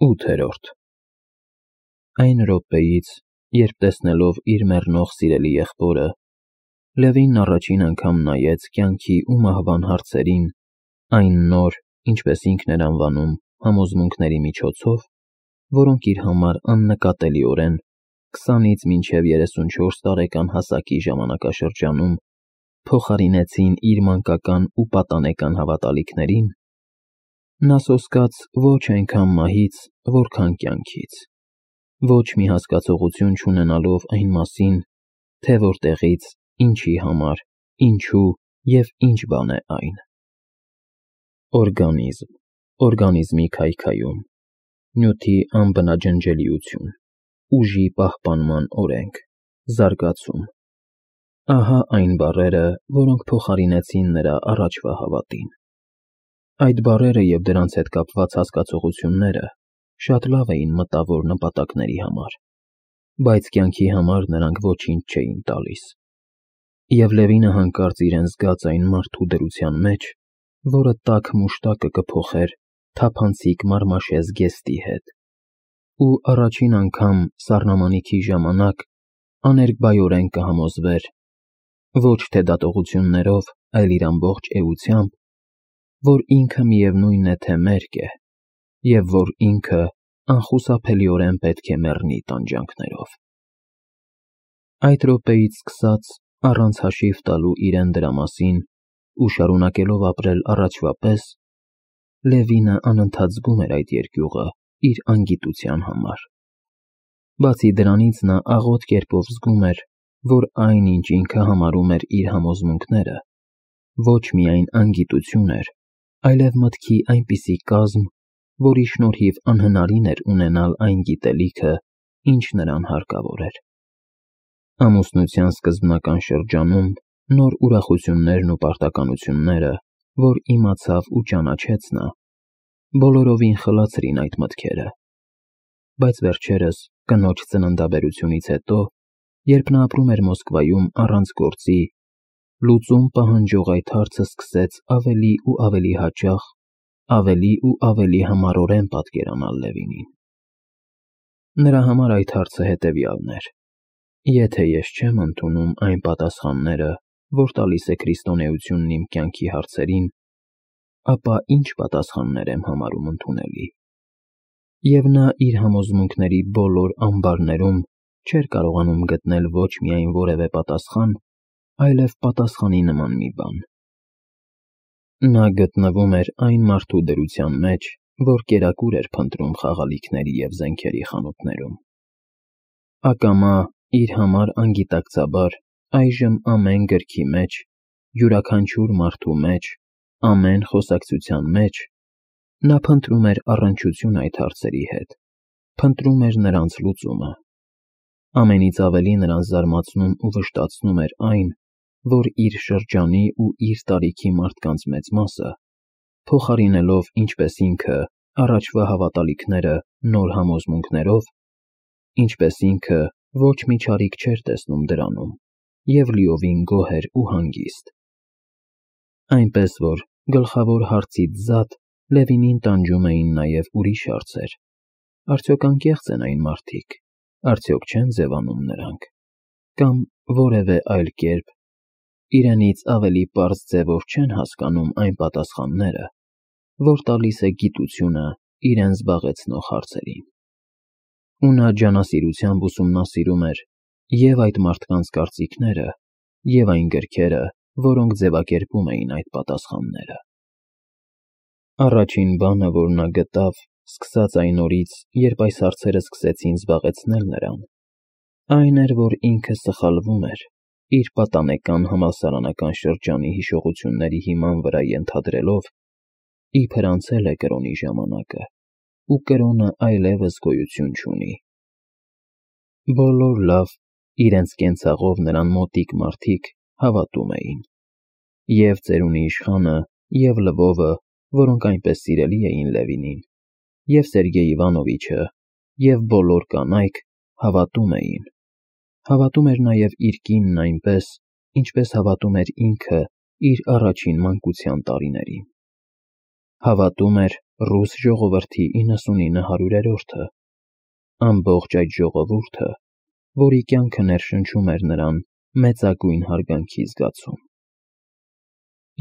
8-րդ Այն րոպեից, երբ տեսնելով իր մեռնող սիրելի եղբորը, Լևին առաջին անգամ նայեց կյանքի ու մահվան հարցերին այն նոր, ինչպես ինքն էր անվանում, համոզմունքների միջոցով, որոնք իր համար աննկատելիորեն 20-ից մինչև 34 տարեկան հասակի ժամանակաշրջանում փոխարինեցին իր մանկական ու պատանեկան հավատալիքներին, նա սոսկաց ոչ այնքան մահից, որքան կյանքից, ոչ մի հասկացողություն չունենալով այն մասին, թե որտեղից, ինչի համար, ինչու և ինչ բան է այն։ Օրգանիզմ, օրգանիզմի քայքայում, նյութի անբնաջնջելիություն, ուժի պահպանման օրենք, զարգացում, ահա այն բառերը, որոնք փոխարինեցին նրա առաջվա հավատին։ Այդ բառերը և դրանց հետ կապված հասկացությունները շատ լավ էին մտավոր նպատակների համար, բայց կյանքի համար նրանք ոչինչ չէին տալիս։ Եվ Լևինը հանկարծ իրեն զգաց այն մարդու դրության մեջ, որը տաք մուշտակը կփոխեր թափանցիկ մարմաշե զգեստի հետ, ու առաջին անգամ սառնամանիքի ժամանակ աներկբայորեն կհամոզվեր, ոչ թե դատողություններով, այլ իր ամբողջ էությամբ, որ ինքը միևնույն է, թե մերկ է, և որ ինքը անխուսափելիորեն պետք է մեռնի տանջանքներով։ Այդ րոպեից սկսած, առանց հաշիվ տալու իրեն դրա մասին ու շարունակելով ապրել առաջվա պես, Լևինը անընդհատ զգում էր այդ երկյուղը իր անգիտության համար։ Բացի դրանից նա աղոտ կերպով զգում էր, որ այն, ինչ ինքը համարում էր իր համոզմունքները, ոչ միայն անգիտություն էր, այլև մտքի այնպիսի կազմ, որի շնորհիվ անհնարին էր ունենալ այն գիտելիքը, ինչ նրան հարկավոր էր։ Ամուսնության սկզբնական շրջանում նոր ուրախություններն ու պարտականությունները, որ իմացավ ու ճանաչեց նա, բոլորովին խլացրին այդ մտքերը, բայց վերջերս, կնոջ ծննդաբերությունից հետո, երբ նա ապրում էր Մոսկվայում առանց գործի, լուծում պահանջող այդ հարցը սկսեց ավելի ու ավելի հաճախ, ավելի ու ավելի համառորեն պատկերանալ Լևինին։ Նրա համար այդ հարցը հետևյալն էր. եթե ես չեմ ընդունում այն պատասխանները, որ տալիս է քրիստոնեությունն իմ կյանքի հարցերին, ապա ինչ պատասխաններ եմ համարում ընդունելի։ Եվ նա իր համոզմունքների բոլոր ամբարներում չէր կարողանում գտնել ոչ միայն որևէ պատասխան, այլև պատասխանի նման մի բան։ Նա գտնվում էր այն մարդու դրության մեջ, որ կերակուր էր փնտրում խաղալիքների և զենքերի խանութներում։ Ակամա, իր համար անգիտակցաբար, այժմ ամեն գրքի մեջ, յուրաքանչյուր մարդու մեջ, ամեն խոսակցության մեջ նա փնտրում էր առնչություն այդ հարցերի հետ, փնտրում էր նրանց լուծումը։ Ամենից ավելի նրան զարմացնում ու վշտացնում էր այն, որ իր շրջանի ու իր տարիքի մարդկանց մեծ մասը, փոխարինելով ինչպես ինքը առաջվա հավատալիքները նոր համոզմունքներով, ինչպես ինքը ոչ մի չարիք չէր տեսնում դրանում և լիովին գոհ էր ու հանգիստ։ Այնպես որ գլխավոր հարցից զատ Լևինին տանջում էին նաև ուրիշ հարցեր. արդյոք անկեղծ են այն մարդիկ, արդյոք չեն ձևանում նրանք, կամ որևէ այլ կերպ, իրենից ավելի պարզ ձևով չեն հասկանում այն պատասխանները, որ տալիս է գիտությունը իրեն զբաղեցնող հարցերին։ Ու նա ջանասիրությամբ ուսումնասիրում էր և այդ մարդկանց կարծիքները, և այն գրքերը, որոնք ձևակերպում էին այդ պատասխանները։ Առաջին բանը, որ նա գտավ, սկսած այն օրից, երբ այս հարցերը սկսեցին զբաղեցնել նրան, այն էր, որ ինքը սխալվում էր, իր պատանեկան համալսարանական շրջանի հիշողությունների հիման վրա ենթադրելով, իբր անցել է կրոնի ժամանակը, ու կրոնը այլևս գոյություն չունի։ Բոլոր լավ, իրենց կենցաղով նրան մոտիկ մարդիկ հավատում էին, և ծերունի իշխանը, և Լվովը, որոնք այնպես սիրելի էին Լևինին, և Սերգեյ Իվանովիչը, և բոլոր կանայք հավատում էին։ Հավատում էր նաև իր կինն այնպես, ինչպես հավատում էր ինքը իր առաջին մանկության տարիներին։ Հավատում էր, ռուս ժողովրդի 99-100-րդը, ամբողջ այդ ժողովուրդը, որի կյանքը ներշնչում էր նրան մեծագույն հարգանքի զգացում։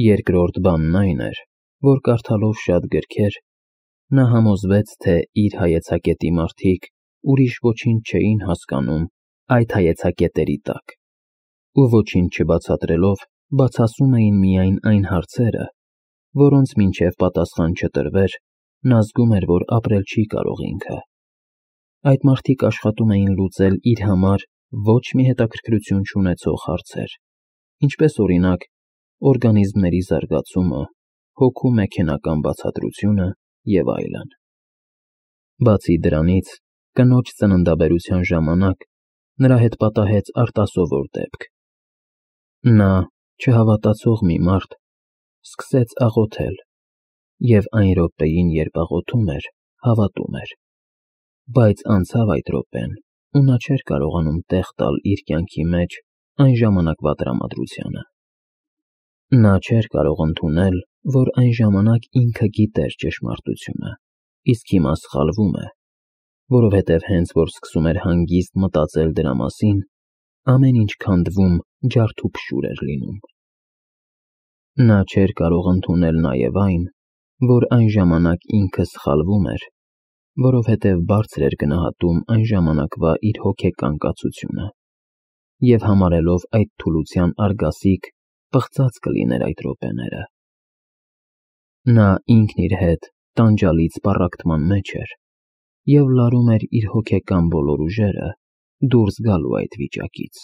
Երկրորդ բանն այն էր, որ կարդալով շատ գրքեր, նա համոզվեց, թե իր հայեցակետի մարդիկ ուրիշ ոչինչ չէին հասկանում այդ հայեցակետերի տակ, ու ոչինչ չբացատրելով բացասում էին միայն այն հարցերը, որոնց մինչև պատասխան չտրվեր, նա զգում էր, որ ապրել չի կարող ինքը։ Այդ մարդիկ աշխատում էին լուծել իր համար ոչ մի հետաքրքրություն չունեցող հարցեր, ինչպես օրինակ օրգանիզմների զարգացումը, հոգու մեքենական բացատրությունը և այլն։ Բացի դրանից, կնոջ ծննդաբերության ժամանակ նրա հետ պատահեց արտասովոր դեպք։ Նա, չհավատացող մի մարդ, սկսեց աղոթել և այն րոպեին, երբ աղոթում էր, հավատում էր, բայց անցավ այդ րոպեն, ու նա չէր կարողանում տեղ տալ իր կյանքի մեջ այն ժամանակվա տրամադրությանը։ Նա չէր կարող ընդունել, որ այն ժամանակ ինքը գիտեր ճշմարտությունը, իսկ հիմա սխալվում է, որովհետև հենց որ սկսում էր հանգիստ մտածել դրա մասին, ամեն ինչ քանդվում, ջարդուփշուր էր լինում։ Նա չէր կարող ընդունել նաև այն, որ այն ժամանակ ինքը սխալվում էր, որովհետև բարձր էր գնահատում այն ժամանակվա իր հոգեկան կացությունը, և համարելով այդ թուլության արգասիկ, պղծած կլիներ այդ րոպեները։ Նա ինքն իր հետ տանջալից պառակտման մեջ էր և լարում էր իր հոգեկան բոլոր ուժերը դուրս գալու այդ վիճակից։